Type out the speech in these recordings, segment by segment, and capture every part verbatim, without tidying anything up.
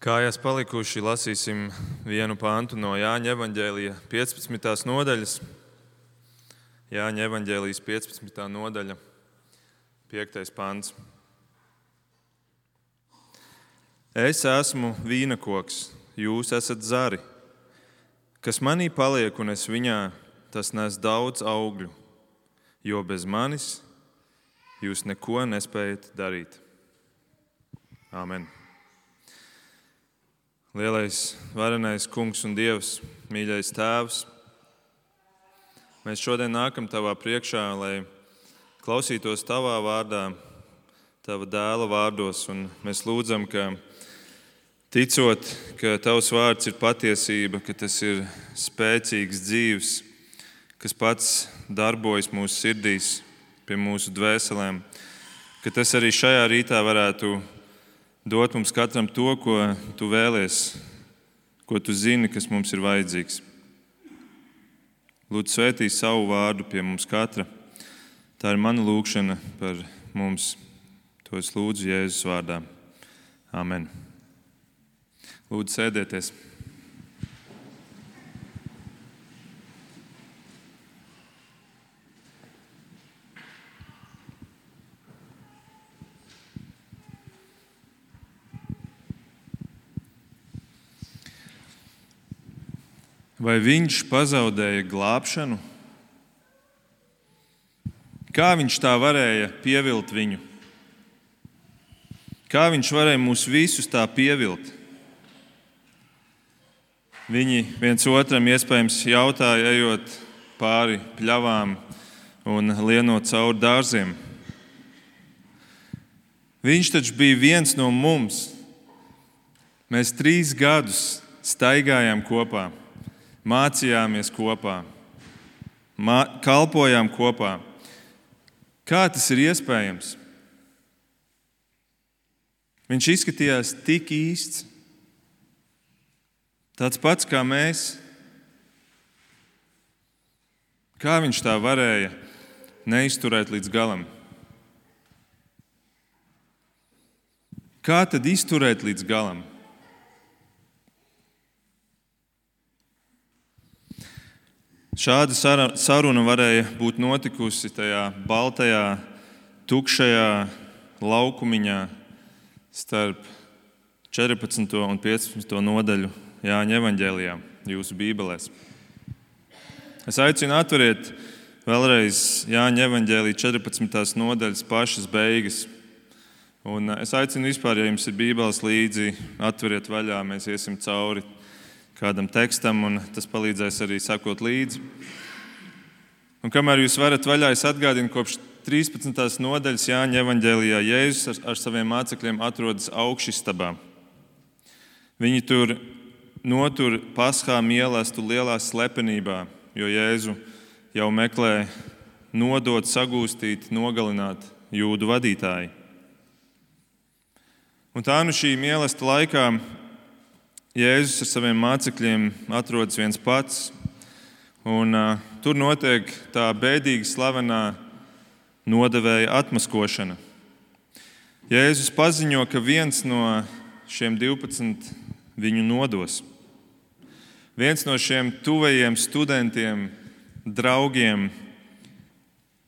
Kājās palikuši lasīsim vienu pantu no Jāņa evaņģēlija piecpadsmitās nodaļas. Jāņa evaņģēlijas piecpadsmitā nodaļa, piektais pants. Es esmu vīnakoks, jūs esat zari. Kas manī paliek un es viņā, tas nes daudz augļu, jo bez manis jūs neko nespējat darīt. Āmen. Lielais, varenais Kungs un Dievs, mīļais Tēvs, mēs šodien nākam Tavā priekšā, lai klausītos Tavā vārdā, Tava dēla vārdos, un mēs lūdzam, ka ticot, ka Tavs vārds ir patiesība, ka tas ir spēcīgs, dzīvs, kas pats darbojas mūsu sirdīs, pie mūsu dvēselēm, ka tas arī šajā rītā varētu dot mums katram to, ko Tu vēlies, ko Tu zini, kas mums ir vajadzīgs. Lūdzu, svētī savu vārdu pie mums katra. Tā ir mana lūgšana par mums. To es lūdzu Jēzus vārdā. Āmen. Lūdzu, sēdieties. Vai viņš pazaudēja glābšanu? Kā viņš tā varēja pievilt viņu? Kā viņš varēja mūs visus tā pievilt? Viņi viens otram iespējams jautāja, ejot pāri pļavām un lienot cauri dārziem. Viņš taču bija viens no mums. Mēs trīs gadus staigājām kopā. Mācījāmies kopā, mā, kalpojām kopā. Kā tas ir iespējams? Viņš izskatījās tik īsts, tāds pats kā mēs. Kā viņš tā varēja neizturēt līdz galam? Kā tad izturēt līdz galam? Šāda saruna varēja būt notikusi tajā baltajā, tukšajā laukumiņā starp četrpadsmito un piecpadsmito nodaļu Jāņa evaņģēlijā, jūsu bībelēs. Es aicinu atveriet vēlreiz Jāņa evaņģēlija četrpadsmitās nodaļas pašas beigas. Un es aicinu vispār, ja jums ir bībeles līdzi, atveriet vaļā, mēs iesim cauri kādam tekstam, un tas palīdzēs arī sakot līdzi. Un kamēr jūs varat vaļā, es atgādinu, kopš trīspadsmitās nodaļas Jāņa evaņģēlijā Jēzus ar, ar saviem mācekļiem atrodas augšistabā. Viņi tur notur paschā mielastu lielā slepenībā, jo Jēzu jau meklē nodot, sagūstīt, nogalināt jūdu vadītāji. Un tā nu šī mielasta laikā Jēzus ar saviem mācekļiem atrodas viens pats, un uh, tur notiek tā bēdīgi slavenā nodevēja atmaskošana. Jēzus paziņo, ka viens no šiem divpadsmit viņu nodos. Viens no šiem tuvajiem studentiem, draugiem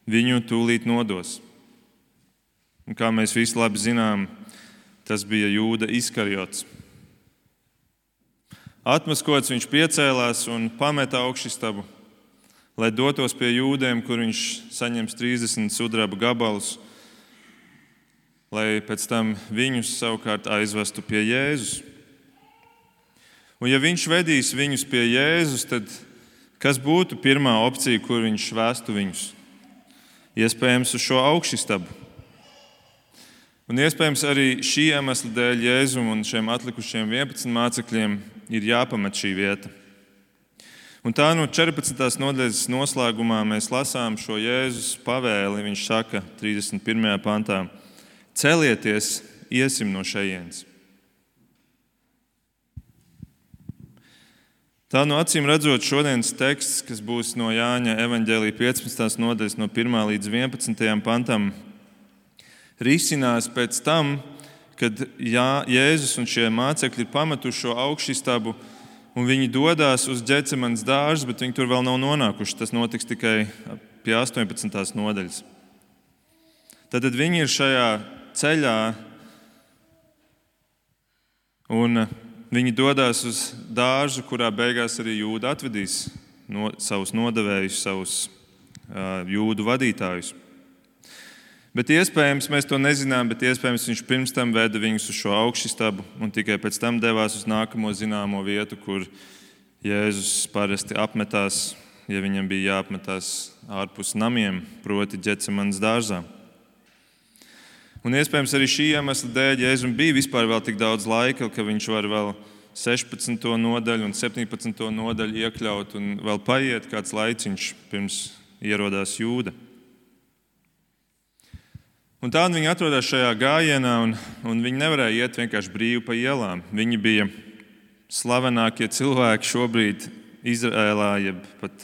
viņu tūlīt nodos. Un kā mēs visi labi zinām, tas bija Jūda Iskariots. Atmaskots viņš piecēlās un pameta augšistabu, lai dotos pie jūdiem, kur viņš saņems trīsdesmit sudraba gabalus, lai pēc tam viņus savukārt aizvestu pie Jēzus. Un ja viņš vedīs viņus pie Jēzus, tad kas būtu pirmā opcija, kur viņš vestu viņus? Iespējams uz šo augšistabu. Un iespējams arī šī iemesla dēļ Jēzum un šiem atlikušiem vienpadsmit mācekļiem ir jāpamet šī vieta. Un tā no četrpadsmitās nodaļas noslēgumā mēs lasām šo Jēzus pavēli. Viņš saka trīsdesmit pirmajā pantā: celieties, iesim no šejienes. Tā no acīm redzot šodienas teksts, kas būs no Jāņa evaņģēlija piecpadsmitās nodaļas no pirmā līdz vienpadsmitajam pantam, risinās pēc tam, kad Jā, Jēzus un šie mācekļi ir pametuši šo augšistabu un viņi dodas uz Ģecemanes dārzu, bet viņi tur vēl nav nonākuši. Tas notiks tikai pie astoņpadsmitās nodaļas. Tad viņi ir šajā ceļā un viņi dodas uz dārzu, kurā beigās arī Jūda atvedīs no, savus nodevējus, savus uh, Jūdu vadītājus. Bet iespējams, mēs to nezinām, bet iespējams viņš pirms tam veda viņus uz šo augšistabu un tikai pēc tam devās uz nākamo zināmo vietu, kur Jēzus parasti apmetās, ja viņam bija jāapmetās ārpus namiem, proti Ģecemanes dārzā. Un iespējams arī šī iemesla dēļ Jēzum bija vispār vēl tik daudz laika, ka viņš var vēl sešpadsmito nodaļu un septiņpadsmito nodaļu iekļaut un vēl paiet kāds laiciņš pirms ierodās Jūda. Un tādi viņi atrodas šajā gājienā, un, un viņi nevarēja iet vienkārši brīvi pa ielām. Viņi bija slavenākie cilvēki šobrīd Izrēlā, jeb pat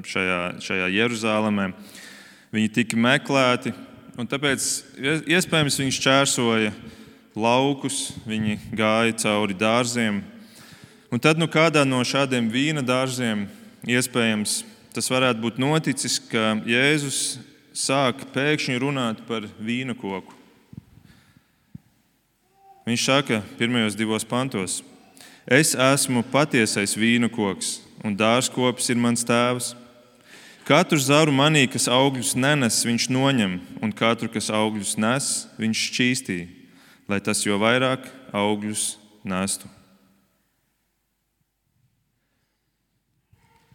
šajā, šajā Jeruzālēmē. Viņi tika meklēti, un tāpēc iespējams viņi šķērsoja laukus, viņi gāja cauri dārziem. Un tad nu kādā no šādiem vīna dārziem iespējams tas varētu būt noticis, ka Jēzus sāk pēkšņi runāt par vīna koku. Viņš saka pirmajos divos pantos: Es esmu patiesais vīna koks, un dārzkopis ir mans tēvs. Katru zaru manī, kas augļus nenes, viņš noņem, un katru, kas augļus nes, viņš šķīstī, lai tas jo vairāk augļus nestu.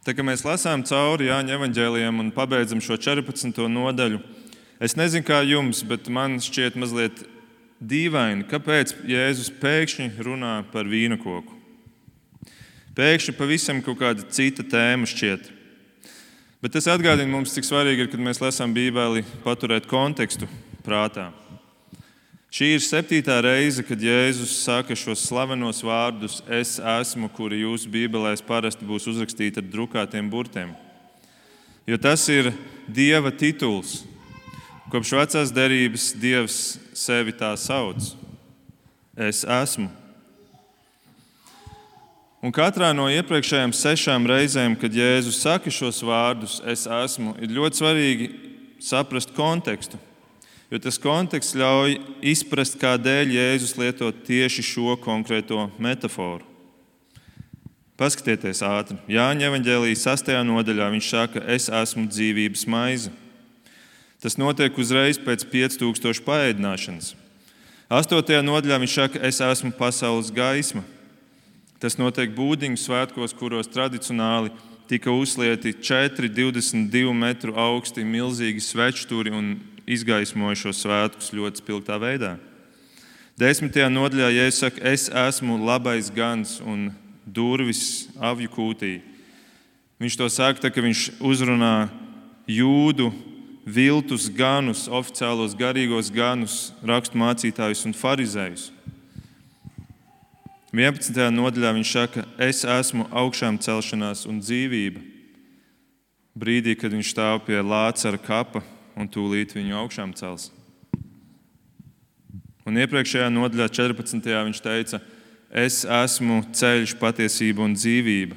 Tā kā mēs lasām cauri Jāņa evaņģēlijam un pabeidzam šo četrpadsmito nodaļu, es nezinu, kā jums, bet man šķiet mazliet dīvaini, kāpēc Jēzus pēkšņi runā par vīna koku. Pēkšņi pavisam kaut kāda cita tēma šķiet. Bet tas atgādina mums, cik svarīgi ir, kad mēs lasām Bībeli, paturēt kontekstu prātā. Šī ir septītā reize, kad Jēzus saka šos slavenos vārdus es esmu, kuri jūsu bībelēs parasti būs uzrakstīti ar drukātiem burtiem. Jo tas ir Dieva tituls. Kopš vecās derības Dievs sevi tā sauc. Es esmu. Un katrā no iepriekšējām sešām reizēm, kad Jēzus saka šos vārdus es esmu, ir ļoti svarīgi saprast kontekstu. Jo tas konteksts ļauj izprast, kādēļ Jēzus lieto tieši šo konkrēto metaforu. Paskatieties ātri. Jāņa evaņģēlijas sastajā nodaļā viņš saka, es esmu dzīvības maize. Tas notiek uzreiz pēc pieci tūkstoši paēdināšanas. astotajā nodaļā viņš saka, es esmu pasaules gaisma. Tas notiek Būdiņu svētkos, kuros tradicionāli tika uzlieti četri divdesmit divu metru augsti milzīgi svečturi un izgaismoja šos svētkus ļoti spilgtā veidā. Desmitajā nodaļā Jēzus saka, es esmu labais gans un durvis avju kūtī. Viņš to saka, tā, ka viņš uzrunā jūdu viltus ganus, oficiālos garīgos ganus, raksturmācītājus un farizējus. vienpadsmitajā nodaļā viņš saka, es esmu augšām celšanās un dzīvība. Brīdī, kad viņš stāv pie Lācara kapa un tūlīt viņu augšām cels. Un iepriekšējā nodaļā četrpadsmitajā viņš teica, es esmu ceļš, patiesība un dzīvība.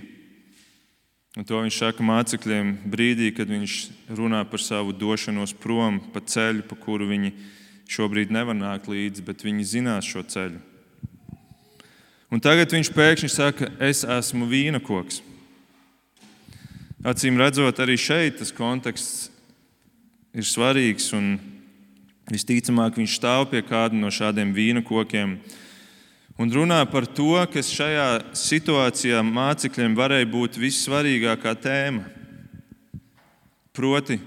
Un to viņš saka mācekļiem brīdī, kad viņš runā par savu došanos prom pa ceļu, pa kuru viņi šobrīd nevar nākt līdzi, bet viņi zinās šo ceļu. Un tagad viņš pēkšņi saka, es esmu vīna koks. Acīm redzot, arī šeit tas konteksts ir svarīgs un visticamāk viņš stāv pie kāda no šādiem vīna kokiem un runā par to, kas šajā situācijā mācekļiem varēja būt vissvarīgākā tēma. Proti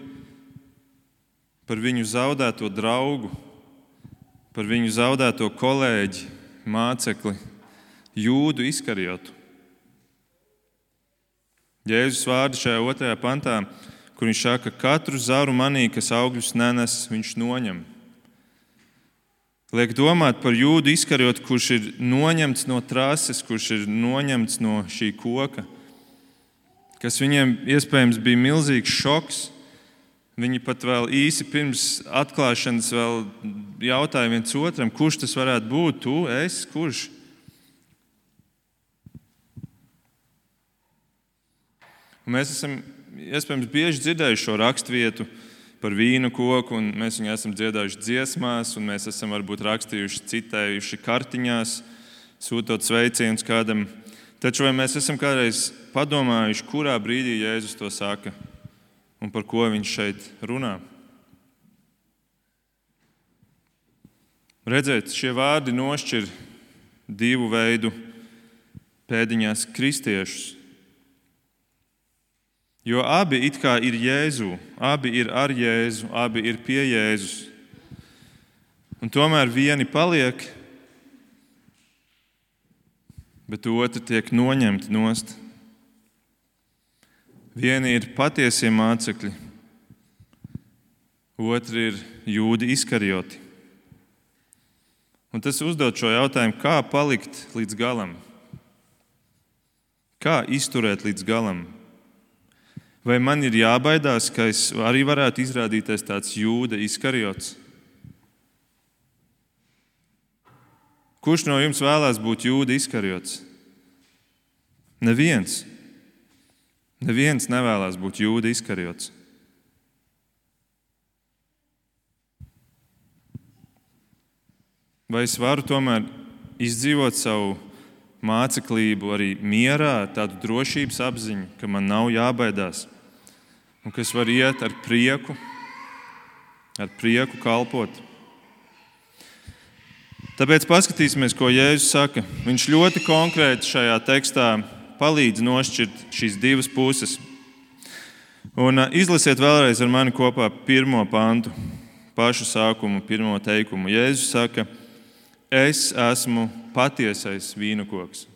par viņu zaudēto draugu, par viņu zaudēto kolēģi, mācekli, Jūdu Iskarijotu. Jēzus vārdi šajā otrajā pantā, kur viņš saka, katru zaru manī, kas augļus nenes, viņš noņem. Liek domāt par Jūdu Iskarijotu, kurš ir noņemts no trases, kurš ir noņemts no šī koka, kas viņiem iespējams bija milzīgs šoks. Viņi pat vēl īsi pirms atklāšanas vēl jautāja viens otram, kurš tas varētu būt, tu, es, kurš? Un mēs esam iespējams bieži dzirdējuši šo raksturvietu par vīnu koku, un mēs viņu esam dziedājuši dziesmās, un mēs esam varbūt rakstījuši, citējuši kartiņās, sūtot sveicienus kādam. Taču vai mēs esam kādreiz padomājuši, kurā brīdī Jēzus to saka un par ko viņš šeit runā? Redzēt, šie vārdi nošķir divu veidu pēdiņās kristiešus. Jo abi it kā ir Jēzu, abi ir ar Jēzu, abi ir pie Jēzus. Un tomēr vieni paliek, bet otri tiek noņemti nost. Vieni ir patiesie mācekļi, otri ir jūdi Iskarioti. Un tas uzdod šo jautājumu, kā palikt līdz galam? Kā izturēt līdz galam? Vai man ir jābaidās, ka es arī varētu izrādīties tāds jūda Iskariots? Kurš no jums vēlās būt jūda Iskariots? Neviens. Neviens nevēlas būt jūda Iskariots. Vai es varu tomēr izdzīvot savu māceklību arī mierā, tādu drošības apziņu, ka man nav jābaidās un ka es varu iet ar prieku, ar prieku kalpot? Tāpēc paskatīsimies, ko Jēzus saka. Viņš ļoti konkrēti šajā tekstā palīdz nošķirt šīs divas puses. Un izlasiet vēlreiz ar mani kopā pirmo pantu, pašu sākumu, pirmo teikumu. Jēzus saka, es esmu patiesais vīnokoks.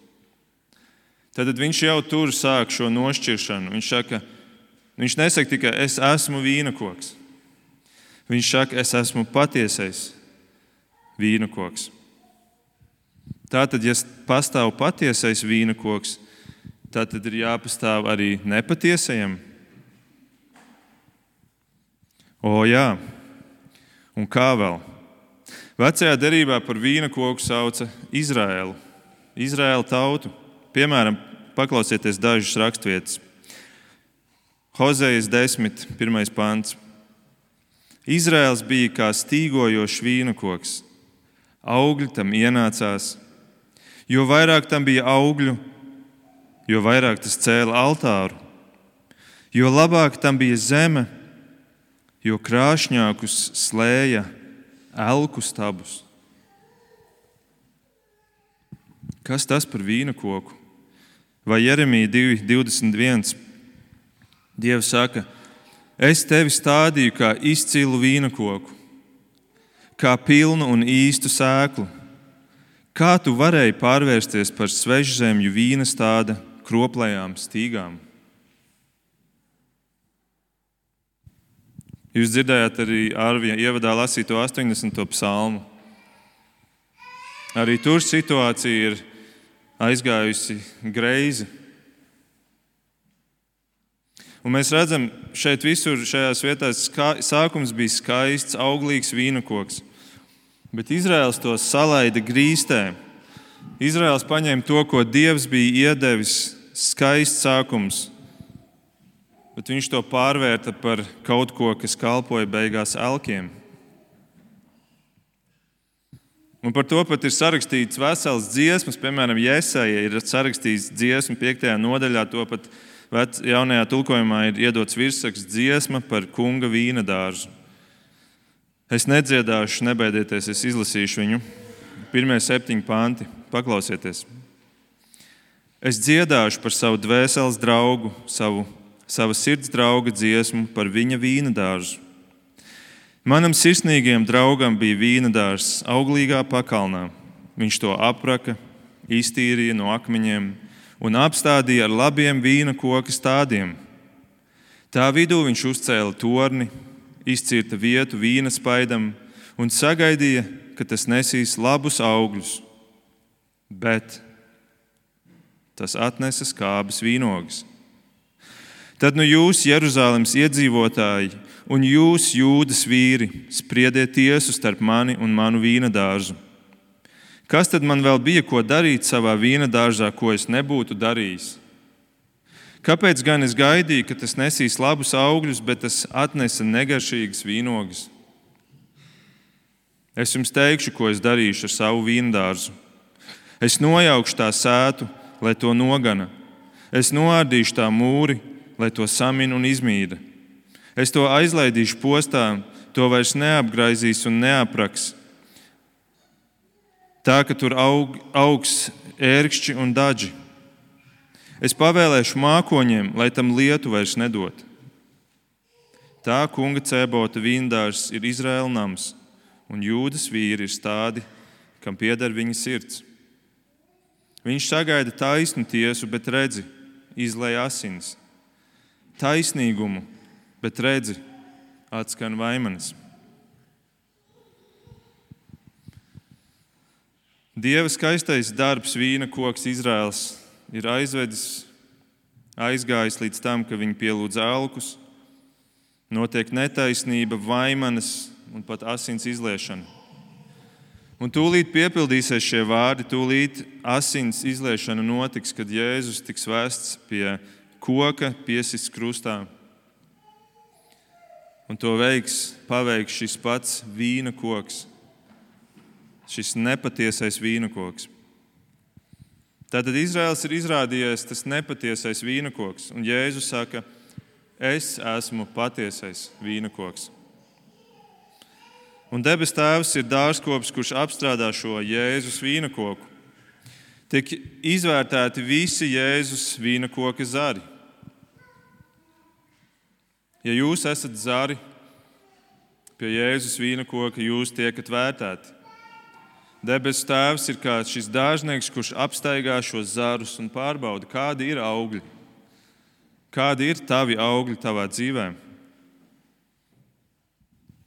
Tad viņš jau tur sāk šo nošķiršanu. Viņš saka, viņš nesaka tikai, es esmu vīnokoks. Viņš saka, es esmu patiesais vīnokoks. Tātad, ja pastāv patiesais vīnokoks, tātad ir jāpastāv arī nepatiesajam. O jā, un kā vēl? Vecajā derībā par vīnokoku sauca Izraēlu, Izraēla tautu. Piemēram, paklausieties dažas raksturvietas. Hozejas desmit, pirmais pants. Izraēls bija kā stīgojošs vīnokoks. Augļi tam ienācās. Jo vairāk tam bija augļu, jo vairāk tas cēla altāru. Jo labāk tam bija zeme, jo krāšņākus slēja elku stabus. Kas tas par vīnokoku? Vai Jeremija divi divdesmit viens? Dievs saka, es tevi stādīju kā izcilu vīnokoku, kā pilnu un īstu sēklu. Kā tu varēji pārvērsties par svežzemju vīna stāda kroplējām stīgām? Jūs dzirdējāt arī Arvija ievadā lasīto astoņdesmito psalmu. Arī tur situācija ir aizgājusi greizi. Un mēs redzam, šeit visur šajās vietās ska, sākums bija skaists, auglīgs vīnokoks. Bet Izraēls to salaida grīstē. Izraēls paņēma to, ko Dievs bija iedevis, skaists sākums, bet viņš to pārvērta par kaut ko, kas kalpoja beigās elkiem. Un par to pat ir sarakstīts vesels dziesmas, piemēram, Jesaja ir sarakstīts dziesmu piektajā nodaļā, to pat vec, jaunajā tulkojumā ir iedots virsraksts dziesma par kunga vīna dārzu. Es nedziedāšu, nebaidieties, es izlasīšu viņu. Pirmie septiņi panti, paklausieties. Es dziedāšu par savu dvēseles draugu, savu, savu sirds drauga dziesmu par viņa vīna dārzu. Manam sirsnīgajam draugam bija vīna dārzs auglīgā pakalnā. Viņš to apraka, iztīrīja no akmeņiem un apstādīja ar labiem vīna koka stādiem. Tā vidū viņš uzcēla torni, izcirta vietu vīna spaidam un sagaidīja, ka tas nesīs labus augļus, bet tas atnesa skābes vīnogas. Tad nu jūs, Jeruzalemes iedzīvotāji, un jūs, Jūdas vīri, spriediet tiesu starp mani un manu vīna dārzu. Kas tad man vēl bija ko darīt savā vīna dārzā, ko es nebūtu darījis? Kāpēc gan es gaidīju, ka tas nesīs labus augļus, bet tas atnesa negaršīgas vīnogas? Es jums teikšu, ko es darīšu ar savu vīna dārzu. Es nojaukšu tā sētu, lai to nogana. Es noārdīšu tā mūri, lai to samina un izmīda. Es to aizlaidīšu postā, to vairs neapgraizīs un neapraks. Tā, ka tur aug, augs ērkšķi un daži. Es pavēlēšu mākoņiem, lai tam lietu vairs nedod. Tā kunga Cēbota vīndārs ir Izraēla nams, un Jūdas vīri ir stādi, kam pieder viņa sirds. Viņš sagaida taisnu tiesu, bet redzi, izlej asinis. Taisnīgumu, bet redzi, atskan vaimanis. Dieva skaistais darbs, vīna koks Izraels, ir aizvedis, aizgājis līdz tam, ka viņi pielūdz alkus, notiek netaisnība, vaimanis un pat asins izliešana. Un tūlīt piepildīsies šie vārdi, tūlīt asins izliešana notiks, kad Jēzus tiks vests pie koka, piesists krustā. Un to veiks, paveiks šis pats vīna koks, šis nepatiesais vīna koks. Tātad Izraels ir izrādījies tas nepatiesais vīna koks, un Jēzus saka, es esmu patiesais vīna koks. Un debes Tēvs ir dārzkops, kurš apstrādā šo Jēzus vīna koku. Tiek izvērtēti visi Jēzus vīna koka zari. Ja jūs esat zari pie Jēzus vīna koka, jūs tiekat vērtēti. Debes Tēvs ir kā šis dārznieks, kurš apstaigā šos zarus un pārbauda, kādi ir augļi, kādi ir tavi augļi tavā dzīvē.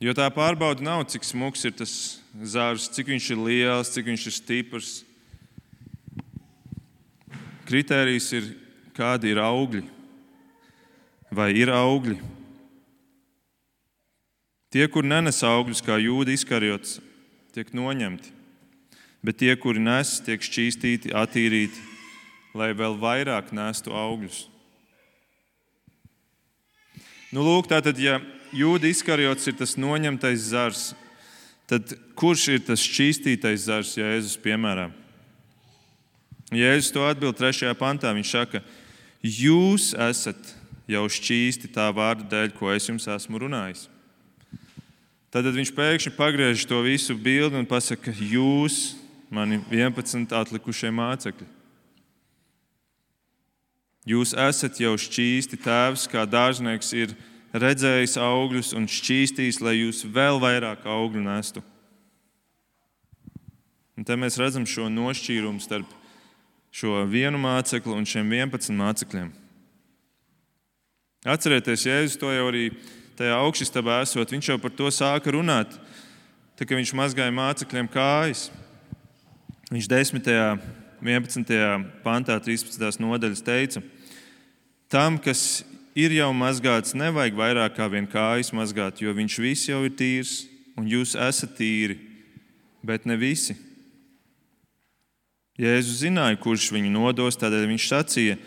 Jo tā pārbauda nav, cik smuks ir tas zars, cik viņš ir liels, cik viņš ir stiprs. Kritērijs ir, kādi ir augļi, vai ir augļi. Tie, kur nenes augļus, kā Jūda Iskariots, tiek noņemti, bet tie, kuri nes, tiek šķīstīti, attīrīti, lai vēl vairāk nestu augļus. Nu, lūk, tātad, ja Jūda Iskariots ir tas noņemtais zars, tad kurš ir tas šķīstītais zars Jēzus piemērā? Jēzus to atbild trešajā pantā. Viņš saka, jūs esat jau šķīsti tā vārda dēļ, ko es jums esmu runājis. Tad viņš pēkšņi pagriež to visu bildi un pasaka, jūs, mani vienpadsmit atlikušie mācekļi. Jūs esat jau šķīsti, Tēvs, kā dārznieks ir redzējis augļus un šķīstījis, lai jūs vēl vairāk augļu nestu. Un te mēs redzam šo nošķīrumu starp šo vienu mācekli un šiem vienpadsmit mācekļiem. Atcerieties, Jēzus to jau arī tajā augšistabā esot, viņš jau par to sāka runāt, tā kā viņš mazgāja mācekļiem kājas. Viņš desmitajā, vienpadsmitajā pantā, trīspadsmitās nodaļas teica, tam, kas ir jau mazgāts, nevajag vairāk kā vien kājas mazgāt, jo viņš viss jau ir tīrs, un jūs esat tīri, bet ne visi. Jēzus zināja, kurš viņu nodos, tādēļ viņš sacīja,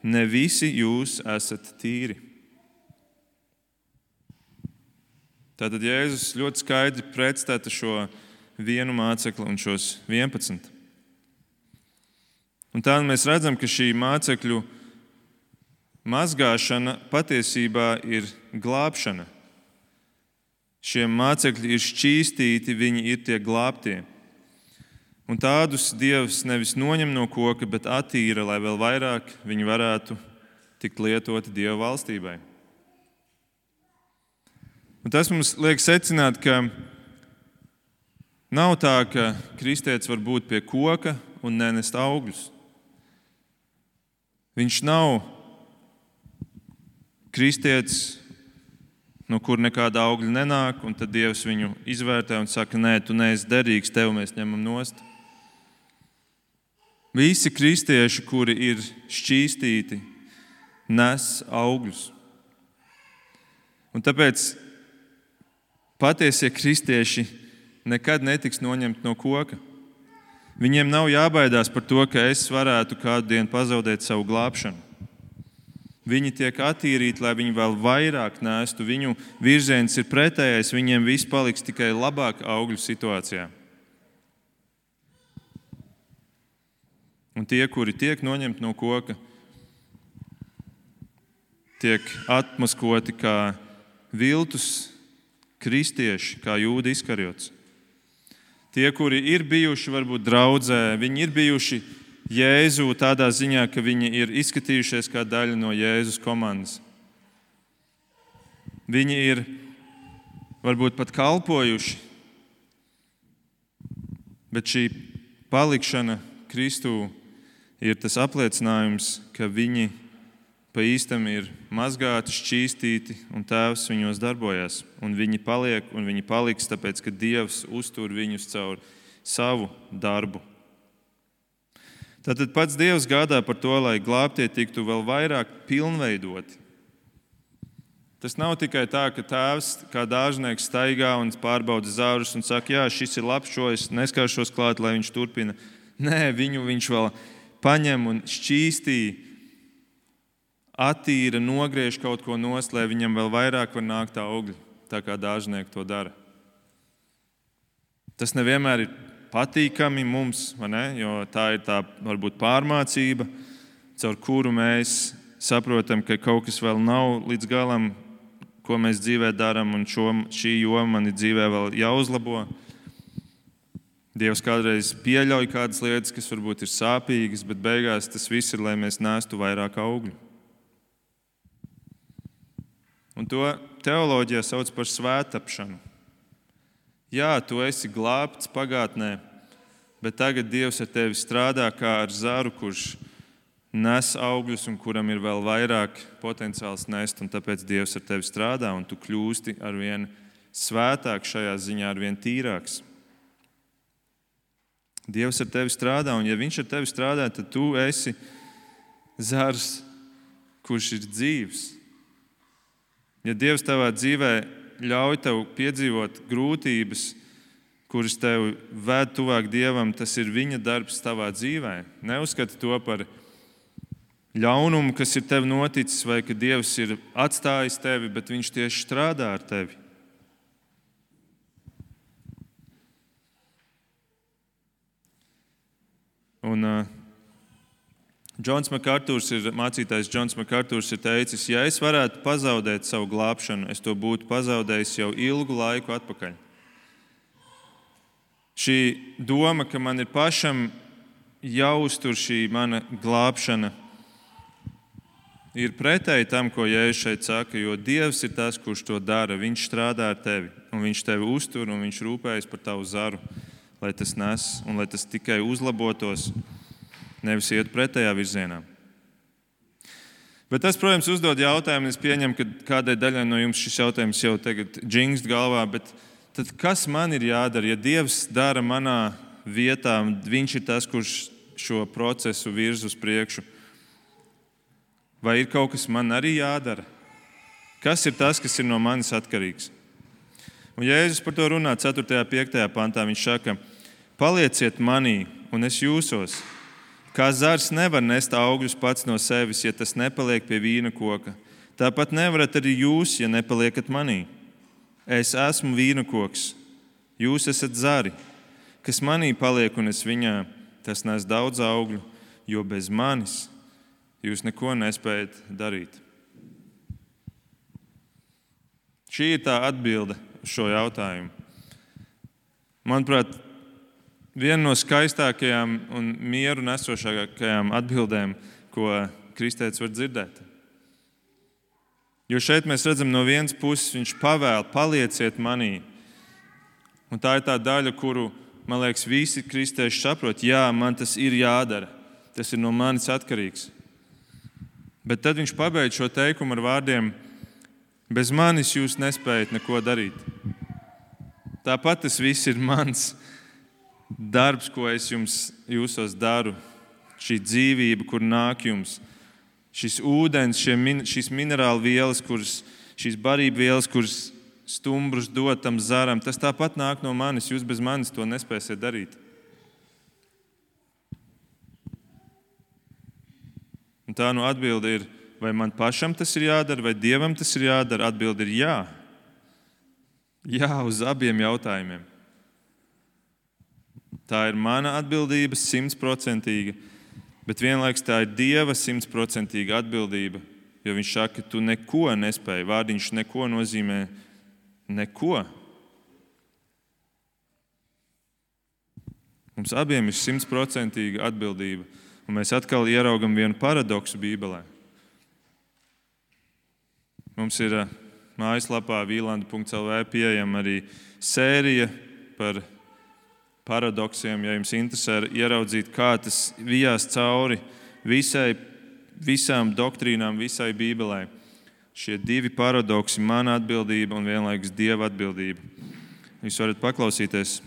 ne visi jūs esat tīri. Tātad Jēzus ļoti skaidri pretstata šo vienu mācekli un šos vienpadsmit. Un tā mēs redzam, ka šī mācekļu mazgāšana patiesībā ir glābšana. Šie mācekļi ir šķīstīti, viņi ir tie glābtie. Un tādus Dievs nevis noņem no koka, bet attīra, lai vēl vairāk viņi varētu tikt lietoti Dieva valstībai. Un tas mums liek secināt, ka nav tā, ka kristietis var būt pie koka un nenest augļus. Viņš nav kristietis, no kur nekāda augļa nenāk, un tad Dievs viņu izvērtē un saka, nē, tu neesi derīgs, tev mēs ņemam nost. Visi kristieši, kuri ir šķīstīti, nes augļus. Un tāpēc patiesie kristieši nekad netiks noņemti no koka. Viņiem nav jābaidās par to, ka es varētu kādu dienu pazaudēt savu glābšanu. Viņi tiek attīrīti, lai viņi vēl vairāk nestu. Viņu virziens ir pretējais, viņiem viss paliks tikai labāk augļu situācijā. Un tie, kuri tiek noņemti no koka, tiek atmaskoti kā viltus kristieši, kā Jūda Iskariots. Tie, kuri ir bijuši varbūt draudzē, viņi ir bijuši Jēzu tādā ziņā, ka viņi ir izskatījušies kā daļa no Jēzus komandas. Viņi ir varbūt pat kalpojuši, bet šī palikšana Kristū ir tas apliecinājums, ka viņi pa īstam ir mazgāti, šķīstīti un Tēvs viņos darbojas. Un viņi paliek un viņi paliks, tāpēc, ka Dievs uztur viņus caur savu darbu. Tātad pats Dievs gādā par to, lai glābtie tiktu vēl vairāk pilnveidoti. Tas nav tikai tā, ka Tēvs kā dārznieks staigā un pārbauda zārus un saka, jā, šis ir labs, šo es neskāršos klāt, lai viņš turpina. Nē, viņu viņš vēl paņem un šķīstī, attīra, nogriež kaut ko nost, lai viņam vēl vairāk var nākt augļi, tā kā dārznieki to dara. Tas nevienmēr ir patīkami mums, vai ne? Jo tā ir tā varbūt pārmācība, caur kuru mēs saprotam, ka kaut kas vēl nav līdz galam, ko mēs dzīvē darām, un šo, šī joma mani dzīvē vēl jāuzlabo. Dievs kādreiz pieļauj kādas lietas, kas varbūt ir sāpīgas, bet beigās tas viss ir, lai mēs nestu vairāk augļu. Un to teoloģijā sauc par svētapšanu. Jā, tu esi glābts pagātnē, bet tagad Dievs ar tevi strādā kā ar zaru, kurš nes augļus un kuram ir vēl vairāk potenciāls nest, un tāpēc Dievs ar tevi strādā, un tu kļūsti arvien svētāk šajā ziņā, arvien tīrāks. Dievs ar tevi strādā, un ja viņš ar tevi strādā, tad tu esi zars, kurš ir dzīvs. Ja Dievs tavā dzīvē ļauj tev piedzīvot grūtības, kuras tev ved tuvāk Dievam, tas ir viņa darbs tavā dzīvē. Neuzskati to par ļaunumu, kas ir tev noticis, vai ka Dievs ir atstājis tevi, bet viņš tieši strādā ar tevi. Un uh, Džons Makartūrs ir, mācītājs Džons Makartūrs ir teicis, ja es varētu pazaudēt savu glābšanu, es to būtu pazaudējis jau ilgu laiku atpakaļ. Šī doma, ka man ir pašam jāuztur šī mana glābšana, ir pretēji tam, ko Jēzus šeit saka, jo Dievs ir tas, kurš to dara. Viņš strādā ar tevi, un viņš tevi uztur, un viņš rūpējas par tavu zaru, lai tas nes, un lai tas tikai uzlabotos, nevis iet pretējā virzienā. Bet tas, protams, uzdod jautājumu, un es pieņemu, ka kādai daļai no jums šis jautājums jau tagad džingst galvā, bet tad kas man ir jādara, ja Dievs dara manā vietā, viņš ir tas, kurš šo procesu virz uz priekšu? Vai ir kaut kas man arī jādara? Kas ir tas, kas ir no manis atkarīgs? Un Jēzus par to runā ceturtajā un piektajā pantā. Viņš saka, palieciet manī, un es jūsos. Kā zars nevar nest augļus pats no sevis, ja tas nepaliek pie vīna koka. Tāpat nevarat arī jūs, ja nepaliekat manī. Es esmu vīna koks, jūs esat zari. Kas manī paliek un es viņā, tas nes daudz augļu, jo bez manis jūs neko nespējat darīt. Šī ir tā atbilde uz šo jautājumu. Manuprāt, viena no skaistākajām un mieru nesošākajām atbildēm, ko kristietis var dzirdēt. Jo šeit mēs redzam, no vienas puses viņš pavēl, palieciet manī. Un tā ir tā daļa, kuru, man liekas, visi kristieši saprot. Jā, man tas ir jādara. Tas ir no manis atkarīgs. Bet tad viņš pabeidz šo teikumu ar vārdiem, bez manis jūs nespējat neko darīt. Tāpat tas viss ir mans darbs, ko es jums jūsos daru. Šī dzīvība, kur nāk jums. Šis ūdens, šie min, šīs minerāla vielas, kuras šīs barību vielas, kuras stumbrus dod tam zaram, tas tāpat nāk no manis, jūs bez manis to nespēsiet darīt. Un tā nu atbilde ir, vai man pašam tas ir jādara, vai Dievam tas ir jādara? Atbilde ir jā. Jā uz abiem jautājumiem. Tā ir mana atbildība simtprocentīga, bet vienlaikus tā ir Dieva simtprocentīga atbildība, jo viņš saka, ka tu neko nespēji. Vārdiņš neko nozīmē neko. Mums abiem ir simtprocentīga atbildība. Un mēs atkal ieraugam vienu paradoksu Bībelē. Mums ir mājaslapā vīlanda punkts el vē pieejama arī sērija par paradoksiem, ja jums interesē ieraudzīt, kā tas vijās cauri visai, visām doktrīnām, visai Bībelē. Šie divi paradoksi, mana atbildība un vienlaikus Dieva atbildība. Jūs varat paklausīties.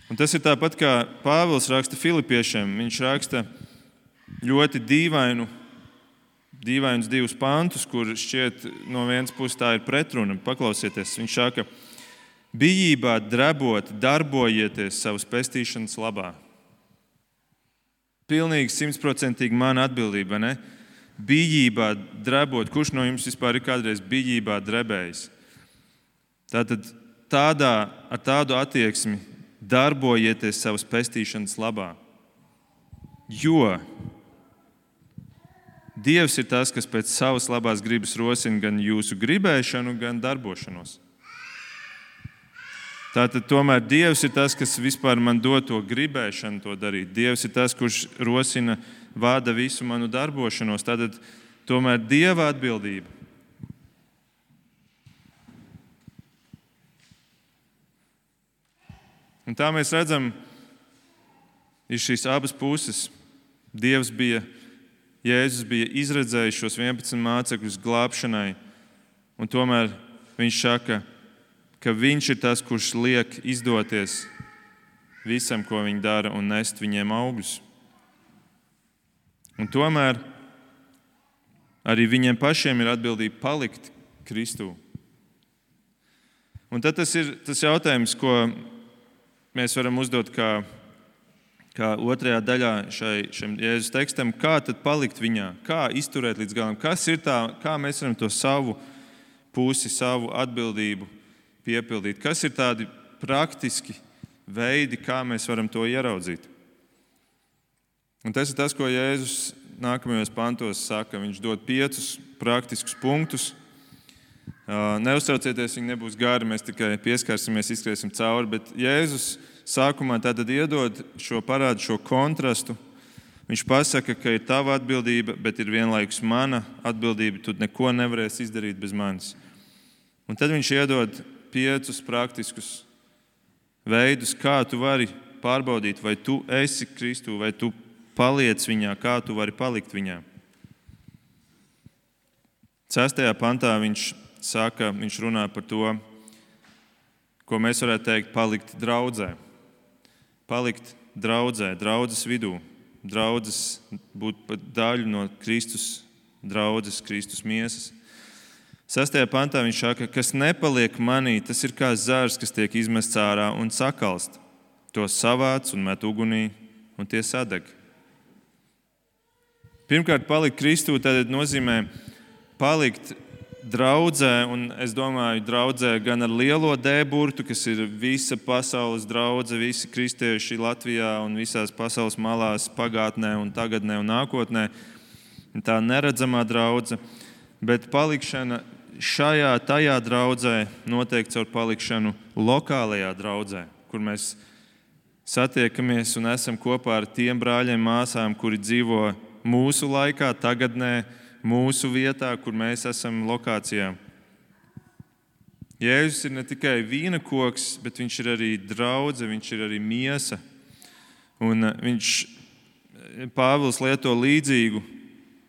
Un tas ir tāpat, kā Pāvils raksta Filipiešiem. Viņš raksta ļoti dīvainu, dīvainus divus pantus, kur šķiet no vienas puses tā ir pretruna. Paklausieties, viņš saka, bijībā drebot, darbojieties savas pestīšanas labā. Pilnīgi simtprocentīgi mana atbildība, ne? Bijībā drebot. Kurš no jums vispār ir kādreiz bijībā drebējis? Tātad tādā, ar tādu attieksmi darbojieties savas pestīšanas labā. Jo Dievs ir tas, kas pēc savas labās gribas rosina gan jūsu gribēšanu, gan darbošanos. Tātad tomēr Dievs ir tas, kas vispār man dod to gribēšanu to darīt. Dievs ir tas, kurš rosina, vada visu manu darbošanos. Tātad tomēr Dieva atbildība. Un tā mēs redzam, ir šīs abas puses. Dievs bija, Jēzus bija izredzējis šos vienpadsmit mācekļus glābšanai, un tomēr viņš saka, ka viņš ir tas, kurš liek izdoties visam, ko viņi dara, un nest viņiem augļus. Un tomēr arī viņiem pašiem ir atbildība palikt Kristū. Un tad tas ir tas jautājums, ko mēs varam uzdot kā, kā otrajā daļā šai, šim Jēzus tekstam, kā tad palikt viņā, kā izturēt līdz galam, kas ir tā, kā mēs varam to savu pusi, savu atbildību piepildīt, kas ir tādi praktiski veidi, kā mēs varam to ieraudzīt. Un tas ir tas, ko Jēzus nākamajos pantos saka. Viņš dod piecus praktiskus punktus. Neuztraucieties, viņi nebūs gari, mēs tikai pieskarsimies, izskriesim cauri, bet Jēzus sākumā tātad iedod šo parādu, šo kontrastu. Viņš pasaka, ka ir tava atbildība, bet ir vienlaikus mana atbildība, tu neko nevarēsi izdarīt bez manis. Un tad viņš iedod piecus praktiskus veidus, kā tu vari pārbaudīt, vai tu esi Kristū, vai tu paliec viņā, kā tu vari palikt viņā. Sestajā pantā viņš saka, viņš runā par to, ko mēs varētu teikt, palikt draudzē. Palikt draudzē, draudzes vidū. Draudzes būt par daļu no Kristus draudzes, Kristus miesas. Sestajā pantā viņš saka, kas nepaliek manī, tas ir kā zars, kas tiek izmests ārā un sakalst. To savāc un met ugunī, un tie sadeg. Pirmkārt, palikt Kristū, tad nozīmē palikt draudzē, un es domāju, draudzē gan ar lielo D burtu, kas ir visa pasaules draudze, visi kristieši Latvijā un visās pasaules malās, pagātnē un tagadnē un nākotnē. Tā neredzamā draudze, bet palikšana šajā, tajā draudzē notiek caur palikšanu lokālajā draudzē, kur mēs satiekamies un esam kopā ar tiem brāļiem, māsām, kuri dzīvo mūsu laikā, tagadnē, mūsu vietā, kur mēs esam lokācijā. Jēzus ir ne tikai vīna koks, bet viņš ir arī draudze, viņš ir arī miesa. Un viņš, Pāvils lieto līdzīgu,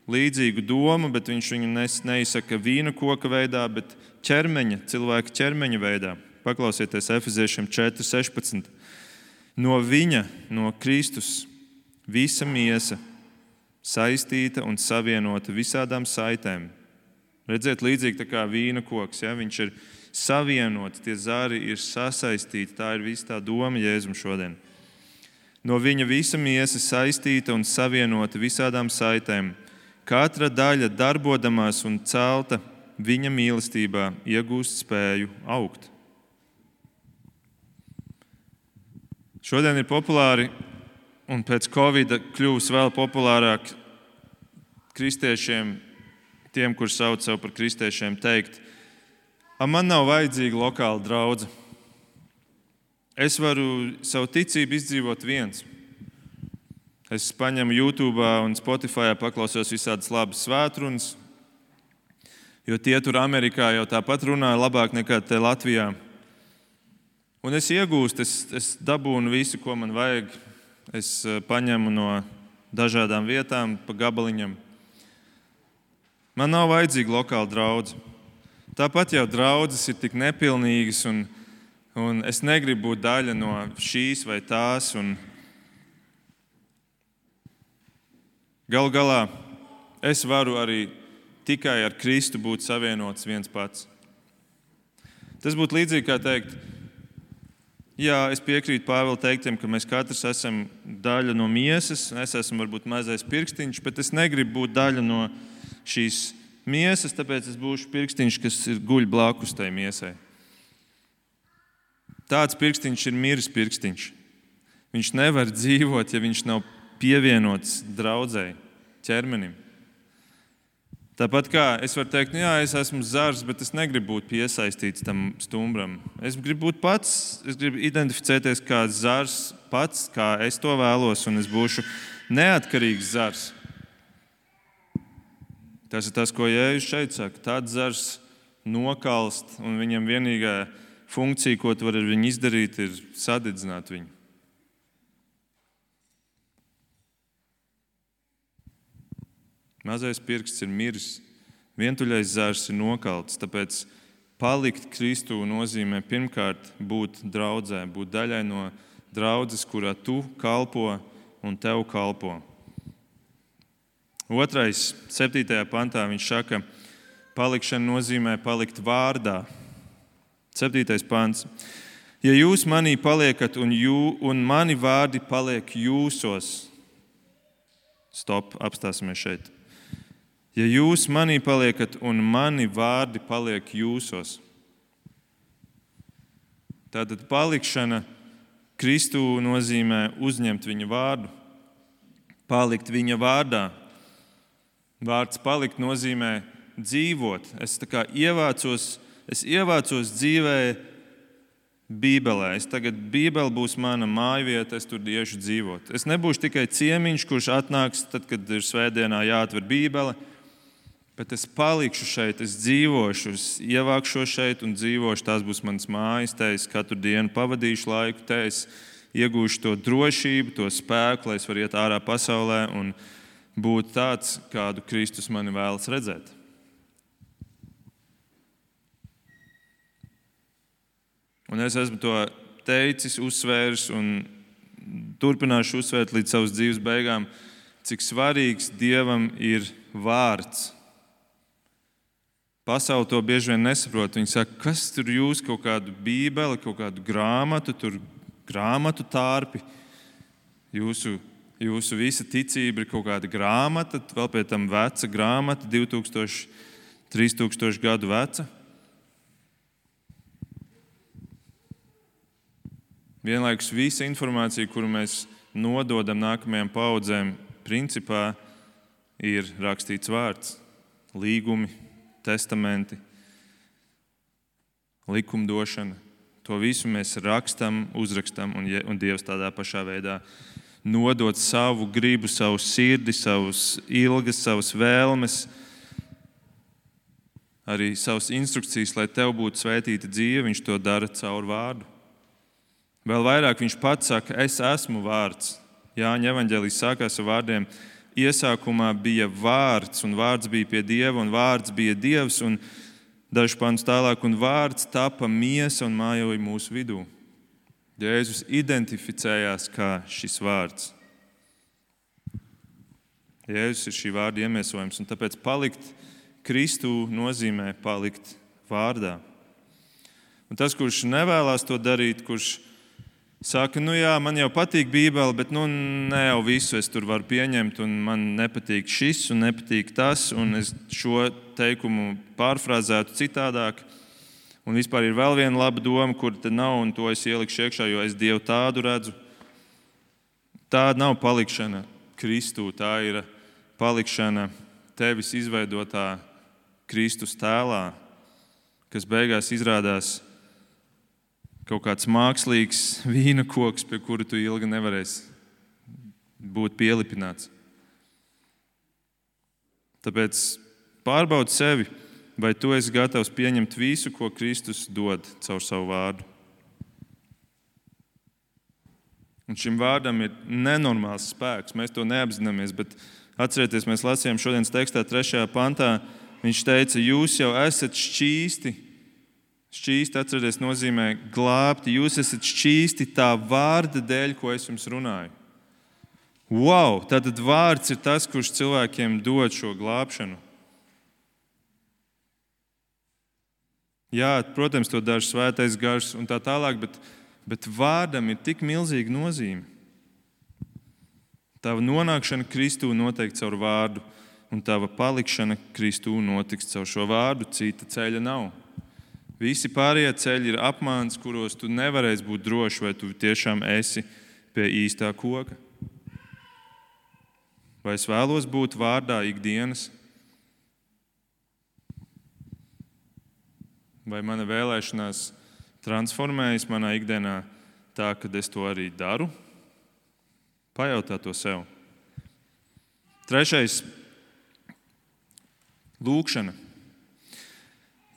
līdzīgu domu, bet viņš viņu neizsaka vīna koka veidā, bet ķermeņa, cilvēka ķermeņa veidā. Paklausieties Efeziešiem četri sešpadsmit. No viņa, no Kristus, visa miesa saistīta un savienota visādām saitēm. Redziet, līdzīgi tā kā vīna koks, ja? Viņš ir savienots, tie zari ir sasaistīti. Tā ir visa tā doma Jēzum šodien. No viņa visa miesa saistīta un savienota visādām saitēm. Katra daļa darbodamās un celta viņa mīlestībā iegūst spēju augt. Šodien ir populāri un pēc Covida kļuvis vēl populārāk kristiešiem, tiem, kur sauc sev par kristiešiem, teikt, a, man nav vajadzīga lokāla draudze. Es varu savu ticību izdzīvot viens. Es paņemu YouTube un Spotify, paklausos visādas labas svētrunas, jo tie tur Amerikā jau tāpat runā labāk nekā te Latvijā. Un es iegūstu, es, es dabūnu visu, ko man vajag. Es paņemu no dažādām vietām pa gabaliņam. Man nav vajadzīga lokāla draudze. Tāpat jau draudzes ir tik nepilnīgas, un, un es negribu būt daļa no šīs vai tās. Un galu galā es varu arī tikai ar Kristu būt savienots viens pats. Tas būtu līdzīgi kā teikt, jā, es piekrītu Pāvila teiktiem, ka mēs katrs esam daļa no miesas, es esmu varbūt mazais pirkstiņš, bet es negribu būt daļa no šīs miesas, tāpēc es būšu pirkstiņš, kas ir guļ blakus tai miesai. Tāds pirkstiņš ir miris pirkstiņš. Viņš nevar dzīvot, ja viņš nav pievienots draudzei, ķermenim. Tāpat kā es varu teikt, jā, es esmu zars, bet es negribu būt piesaistīts tam stumbram. Es gribu būt pats, es gribu identificēties kā zars pats, kā es to vēlos, un es būšu neatkarīgs zars. Tas ir tas, ko Jēzus šeit saka. Tāds zars nokalst, un viņam vienīgā funkcija, ko tu vari ar viņu izdarīt, ir sadedzināt viņu. Mazais pirksts ir miris, vientuļais zars ir nokalts, tāpēc palikt Kristū nozīmē pirmkārt būt draudzē, būt daļai no draudzes, kurā tu kalpo un tev kalpo. Otrais, septītajā pantā viņš saka, palikšana nozīmē palikt vārdā. Septītais pants. Ja jūs manī paliekat un, jū, un mani vārdi paliek jūsos. Stop, apstāsimies šeit. Ja jūs manī paliekat un mani vārdi paliek jūsos. Tātad palikšana Kristū nozīmē uzņemt viņa vārdu, palikt viņa vārdā. Vārds palikt nozīmē dzīvot. Es tā kā ievācos, es ievācos dzīvē Bībelē. Es tagad Bībele būs mana mājvieta, es tur iešu dzīvot. Es nebūšu tikai ciemiņš, kurš atnāks tad, kad ir svētdienā jāatver Bībele, bet es palikšu šeit, es dzīvošu, es ievākšos šeit un dzīvošu. Tās būs manas mājas, te es katru dienu pavadīšu laiku, te es iegūšu to drošību, to spēku, lai es varu iet ārā pasaulē un būt tāds, kādu Kristus mani vēlas redzēt. Un es esmu to teicis, uzsvērs un turpināšu uzsvērt līdz savas dzīves beigām, cik svarīgs Dievam ir vārds. Pasaule to bieži vien nesaprot. Viņi saka, kas tur jūs kaut kādu bībeli, kaut kādu grāmatu, tur grāmatu tārpi. Jūsu Jūsu visa ticība ir kaut kāda grāmata, vēl pie tam veca grāmata, divi tūkstoši, trīs tūkstoši gadu veca. Vienlaikus visa informācija, kuru mēs nododam nākamajām paudzēm, principā ir rakstīts vārds, līgumi, testamenti, likumdošana. To visu mēs rakstam, uzrakstam, un, un Dievs tādā pašā veidā nodot savu gribu, savu sirdi, savus ilgas, savas vēlmes, arī savas instrukcijas, lai tev būtu svētīta dzīve, viņš to dara caur vārdu. Vēl vairāk viņš pats saka, es esmu vārds. Jāņa evaņģēlijs sākās ar vārdiem, iesākumā bija vārds, un vārds bija pie Dieva, un vārds bija Dievs, un dažus pantus tālāk, un vārds tapa miesa un mājoja mūsu vidū. Jēzus identificējās kā šis vārds. Jēzus ir šī vārda iemiesojums, un tāpēc palikt Kristū nozīmē palikt vārdā. Un tas, kurš nevēlas to darīt, kurš saka, nu jā, man jau patīk Bībele, bet nu ne jau visu es tur varu pieņemt, un man nepatīk šis un nepatīk tas, un es šo teikumu pārfrāzētu citādāk. Un vispār ir vēl viena laba doma, kur te nav, un to es ielikšu iekšā, jo es Dievu tādu redzu. Tā nav palikšana Kristū, tā ir palikšana tevis izveidotā Kristus tēlā, kas beigās izrādās kaut kāds mākslīgs vīna koks, pie kura tu ilgi nevarēsi būt pielipināts. Tāpēc pārbaudi sevi, vai tu esi gatavs pieņemt visu, ko Kristus dod caur savu vārdu. Un šim vārdam ir nenormāls spēks. Mēs to neapzināmies, bet atcerieties, mēs lasījām šodienas tekstā trešajā pantā. Viņš teica, jūs jau esat šķīsti. Šķīsti, atcerieties, nozīmē glābti. Jūs esat šķīsti tā vārda dēļ, ko es jums runāju. Wow! Tātad vārds ir tas, kurš cilvēkiem dod šo glābšanu. Jā, protams, to dara svētais gars un tā tālāk, bet, bet vārdam ir tik milzīga nozīme. Tava nonākšana Kristū notiek caur vārdu, un tava palikšana Kristū notiks caur šo vārdu. Cita ceļa nav. Visi pārējie ceļi ir apmāns, kuros tu nevarēsi būt drošs, vai tu tiešām esi pie īstā koka. Vai es vēlos būt vārdā ikdienas? Vai mana vēlēšanās transformējas manā ikdienā tā, ka es to arī daru? Pajautā to sev. Trešais - lūkšana.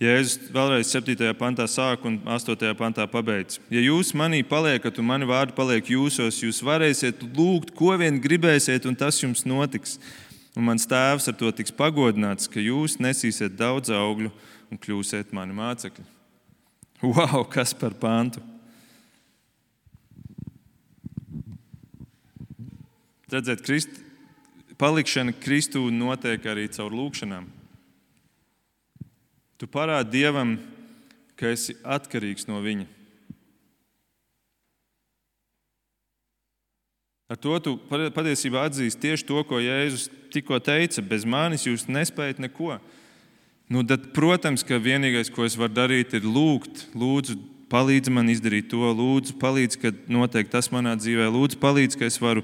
Jēzus vēlreiz septītajā pantā sāk un astotajā pantā pabeidz. Ja jūs manī paliekat un mani vārdi paliek jūsos, jūs varēsiet lūgt, ko vien gribēsiet, un tas jums notiks. Un mans tēvs ar to tiks pagodināts, ka jūs nesīsiet daudz augļu un kļūsiet mani mācekļi. Wow, kas par pantu! Redzēt, Krist, palikšana Kristū notiek arī caur lūkšanām. Tu parādi Dievam, ka esi atkarīgs no Viņa. Ar to tu patiesībā atzīsti tieši to, ko Jēzus tikko teica. Bez manis jūs nespējat neko. Nu, tad, protams, ka vienīgais, ko es varu darīt, ir lūgt. Lūdzu, palīdzi man izdarīt to. Lūdzu, palīdzi, ka notiek tas manā dzīvē. Lūdzu, palīdzi, ka es varu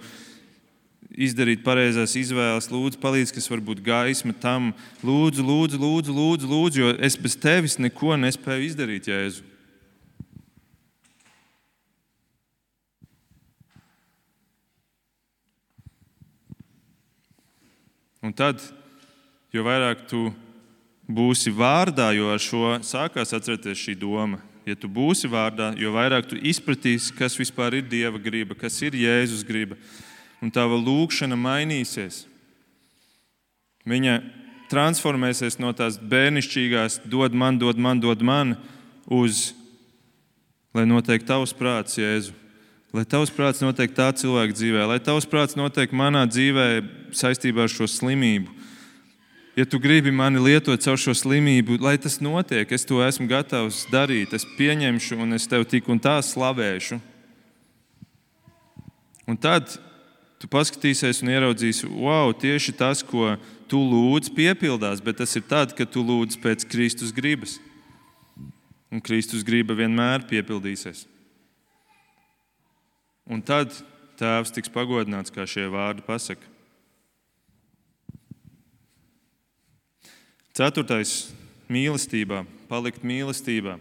izdarīt pareizās izvēles. Lūdzu, palīdzi, ka es varu būt gaisma tam. Lūdzu, lūdzu, lūdzu, lūdzu, lūdzu, jo es bez tevis neko nespēju izdarīt, Jēzu. Un tad, jo vairāk tu būsi vārdā, jo ar šo sākās atcerieties šī doma. Ja tu būsi vārdā, jo vairāk tu izpratīsi, kas vispār ir Dieva griba, kas ir Jēzus griba. Un tava lūkšana mainīsies. Viņa transformēsies no tās bērnišķīgās dod man, dod man, dod man, uz, lai notiek tavs prāts, Jēzu. Lai tavs prāts notiek tā cilvēka dzīvē, lai tavs prāts notiek manā dzīvē saistībā ar šo slimību. Ja tu gribi mani lietot caur šo slimību, lai tas notiek, es to esmu gatavs darīt, es pieņemšu un es tev tik un tā slavēšu. Un tad tu paskatīsies un ieraudzīsi, wow, tieši tas, ko tu lūdz, piepildās, bet tas ir tad, kad tu lūdz pēc Kristus gribas. Un Kristus griba vienmēr piepildīsies. Un tad Tēvs tiks pagodināts, kā šie vārdi pasaka. Ceturtais - mīlestībā, palikt mīlestībā.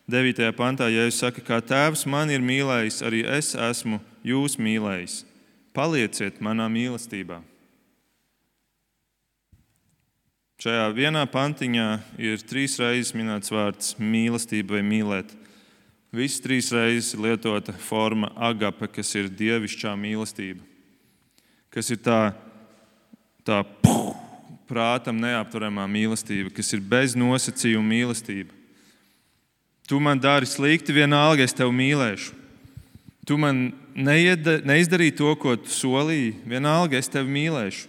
Devītajā pantā Jēzus saka, kā Tēvs man ir mīlējis, arī es esmu jūs mīlējis. Palieciet manā mīlestībā. Šajā vienā pantiņā ir trīs reizes minēts vārds mīlestība vai mīlēt. Visas trīs reizes ir lietota forma agape, kas ir dievišķā mīlestība, kas ir tā, tā puh, prātam neapturamā mīlestība, kas ir bez nosacījuma mīlestība. Tu man dari slikti, vienalga es tevi mīlēšu. Tu man neieda, neizdarīji to, ko tu solīji, vienalga es tevi mīlēšu.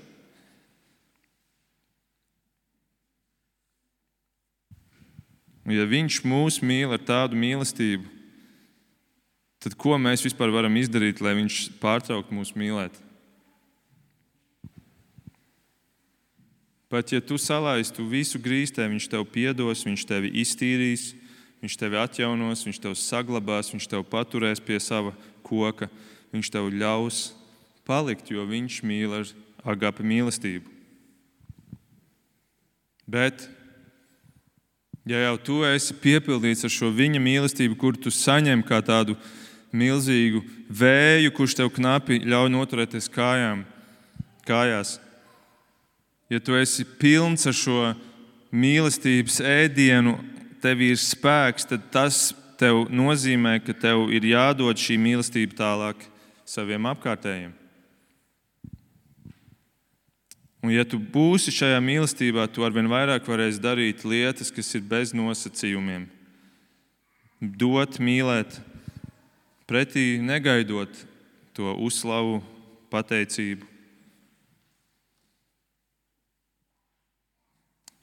Un ja viņš mūs mīl ar tādu mīlestību, tad ko mēs vispār varam izdarīt, lai viņš pārtrauktu mūs mīlēt? Pat ja tu salaistu visu grīstē, viņš tev piedos, viņš tevi iztīrīs, viņš tevi atjaunos, viņš tev saglabās, viņš tev paturēs pie sava koka, viņš tev ļaus palikt, jo viņš mīl ar agape mīlestību. Bet, ja jau tu esi piepildīts ar šo viņa mīlestību, kur tu saņem kā tādu milzīgu vēju, kurš tev knapi ļauj noturēties kājām, kājās, ja tu esi pilns ar šo mīlestības ēdienu, tev ir spēks, tad tas tev nozīmē, ka tev ir jādod šī mīlestība tālāk saviem apkārtējiem. Un ja tu būsi šajā mīlestībā, tu arvien vairāk varēsi darīt lietas, kas ir bez nosacījumiem. Dot, mīlēt, pretī negaidot to uzslavu, pateicību.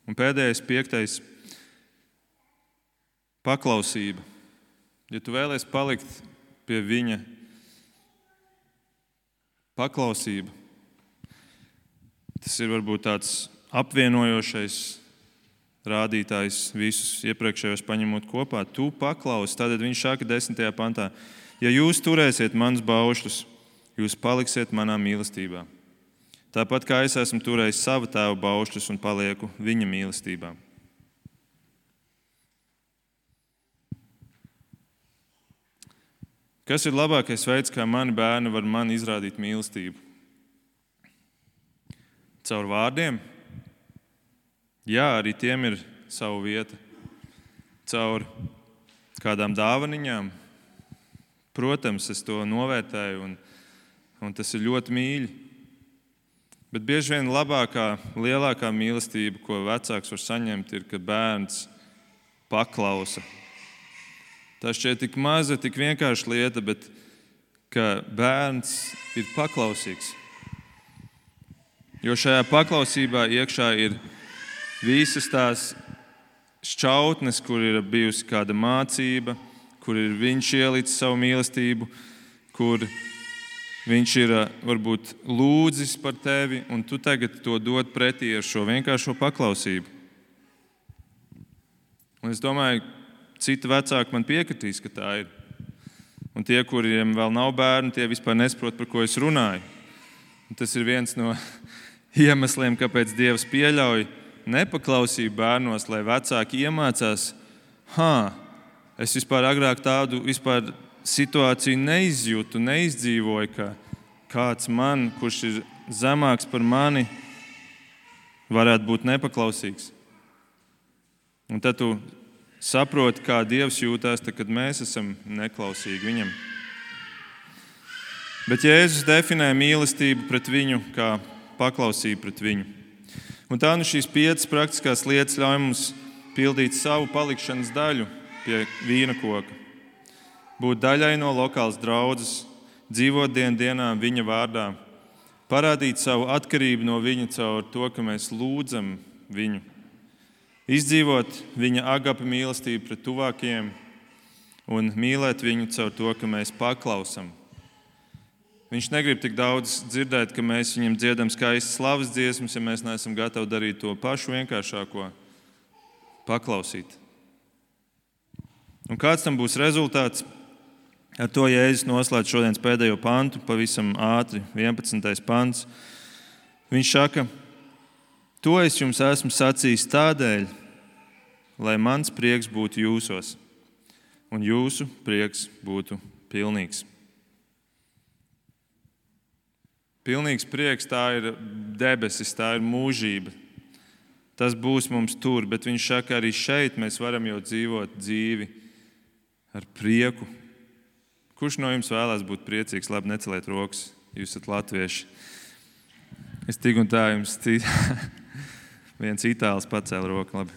Un pēdējais, piektais, paklausība. Ja tu vēlies palikt pie viņa, paklausība. Tas ir varbūt tāds apvienojošais rādītājs visus iepriekšējos paņemot kopā. Tu paklausi, tad viņš saka desmitajā pantā, ja jūs turēsiet manus baušļus, jūs paliksiet manā mīlestībā. Tāpat kā es esmu turējis savu tēvu baušļus un palieku viņa mīlestībā. Kas ir labākais veids, kā mani bērni var man izrādīt mīlestību? Caur vārdiem? Jā, arī tiem ir sava vieta. Caur kādām dāvaniņām? Protams, es to novērtēju un, un tas ir ļoti mīļi. Bet bieži vien labākā, lielākā mīlestība, ko vecāks var saņemt, ir, kad bērns paklausa. Tā šķiet tik maza, tik vienkārša lieta, bet ka bērns ir paklausīgs. Jo šajā paklausībā iekšā ir visas tās šķautnes, kur ir bijusi kāda mācība, kur ir viņš ielicis savu mīlestību, kur viņš ir varbūt lūdzis par tevi, un tu tagad to dod pretī ar šo vienkāršo paklausību. Un es domāju, citi vecāki man piekritīs, ka tā ir. Un tie, kuriem vēl nav bērni, tie vispār nesaprot, par ko es runāju. Un tas ir viens no iemesliem, kāpēc Dievs pieļauj nepaklausību bērnos, lai vecāki iemācās, hā, es vispār agrāk tādu vispār situāciju neizjūtu, neizdzīvoju, ka kāds man, kurš ir zemāks par mani, varētu būt nepaklausīgs. Un tad tu saproti, kā Dievs jūtās, tad, kad mēs esam neklausīgi viņam. Bet Jēzus definē mīlestību pret viņu kā paklausību pret viņu. Un tā nu šīs piecas praktiskās lietas ļauj mums pildīt savu palikšanas daļu pie vīna koka. Būt daļai no lokālas draudzes, dzīvot dienu dienā viņa vārdā, parādīt savu atkarību no viņa caur to, ka mēs lūdzam viņu, izdzīvot viņa agape mīlestību pret tuvākajiem un mīlēt viņu caur to, ka mēs paklausam. Viņš negrib tik daudz dzirdēt, ka mēs viņam dziedam skaistas slavas dziesmas, ja mēs neesam gatavi darīt to pašu vienkāršāko - paklausīt. Un kāds tam būs rezultāts? Ar to Jēzus noslēdz šodienas pēdējo pantu, pavisam ātri, vienpadsmitais pants. Viņš saka, to es jums esmu sacījis tādēļ, lai mans prieks būtu jūsos, un jūsu prieks būtu pilnīgs. Pilnīgs prieks, tā ir debesis, tā ir mūžība. Tas būs mums tur, bet viņš saka, arī šeit mēs varam jau dzīvot dzīvi ar prieku. Kurš no jums vēlās būt priecīgs? Labi, neceliet rokas, jūs esat latvieši. Es tik un tā jums cīt... viens itālis pacēla roku. Labi.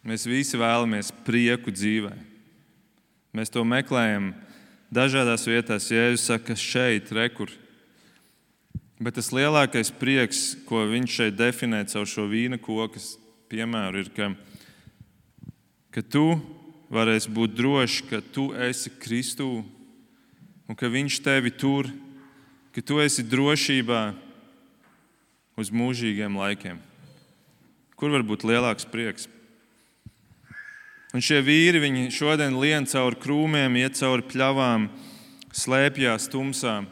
Mēs visi vēlamies prieku dzīvē. Mēs to meklējam dažādās vietās. Jēzus saka, šeit, rekur. Bet tas lielākais prieks, ko viņš šeit definē caur šo vīna koku, piemēru, ir, ka, ka tu varēsi būt drošs, ka tu esi Kristū un ka Viņš tevi tur, ka tu esi drošībā uz mūžīgiem laikiem. Kur var būt lielāks prieks? Un šie vīri, viņi šodien lien cauri krūmiem, iet cauri pļavām, slēpjās tumsā.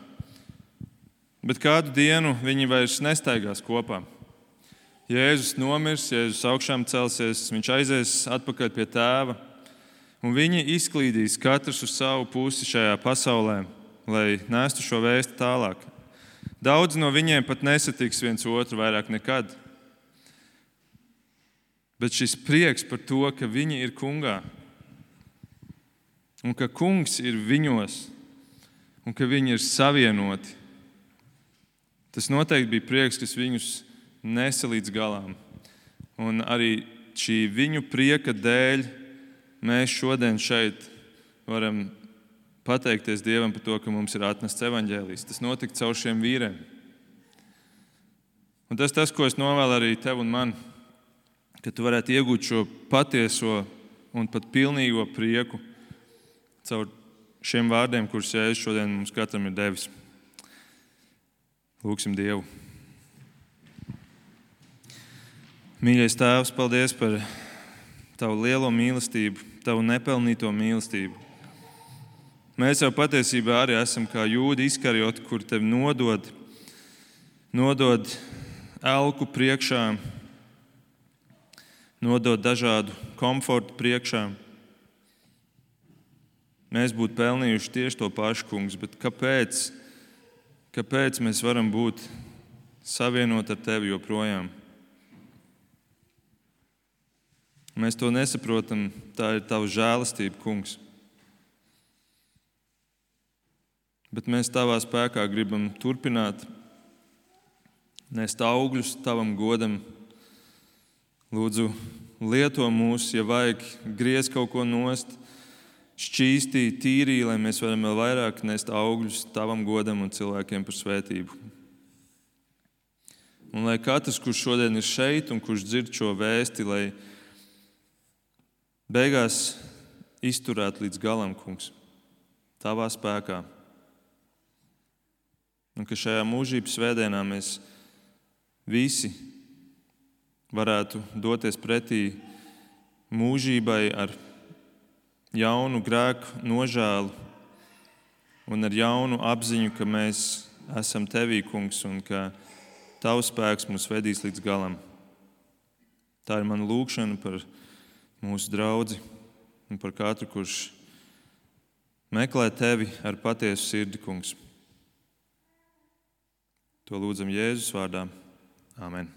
Bet kādu dienu viņi vairs nestaigās kopā. Jēzus nomirs, Jēzus augšām celsies, Viņš aizies atpakaļ pie Tēva, un viņi izklīdīs katrs uz savu pusi šajā pasaulē, lai nestu šo vēstu tālāk. Daudz no viņiem pat nesatiks viens otru vairāk nekad. Bet šis prieks par to, ka viņi ir kungā, un ka kungs ir viņos, un ka viņi ir savienoti, tas noteikti bija prieks, kas viņus nesa līdz galām. Un arī šī viņu prieka dēļ mēs šodien šeit varam pateikties Dievam par to, ka mums ir atnests evaņģēlijs. Tas notika caur šiem vīriem. Un tas tas, ko es novēlu arī tev un man, ka tu varētu iegūt šo patieso un pat pilnīgo prieku caur šiem vārdiem, kurus Jēzus šodien mums katram ir devis. Lūksim Dievu. Mīļais Tēvs, paldies par Tavu lielo mīlestību, Tavu nepelnīto mīlestību. Mēs jau patiesībā arī esam kā Jūdi Iskarioti, kur Tevi nodod, nodod elku priekšā, nodod dažādu komfortu priekšā. Mēs būtu pelnījuši tieši to pašu, kungs, bet kāpēc, kāpēc mēs varam būt savienot ar Tevi joprojām? Mēs to nesaprotam, tā ir Tava žēlastība, kungs. Bet mēs Tavā spēkā gribam turpināt nest augļus Tavam godam. Lūdzu, lieto mūs, ja vajag, griez kaut ko nost, šķīstī, tīrī, lai mēs varam vēl vairāk nest augļus Tavam godam un cilvēkiem par svētību. Un lai katrs, kurš šodien ir šeit un kurš dzird šo vēsti, lai beigās izturētu līdz galam, kungs, Tavā spēkā. Un ka šajā mūžības svētdienā mēs visi varētu doties pretī mūžībai ar jaunu grēku nožēlu un ar jaunu apziņu, ka mēs esam Tevī, kungs, un ka Tavs spēks mūs vedīs līdz galam. Tā ir mana lūgšana par mūsu draudzi un par katru, kurš meklē Tevi ar patiesu sirdi, kungs. To lūdzam Jēzus vārdā. Āmen.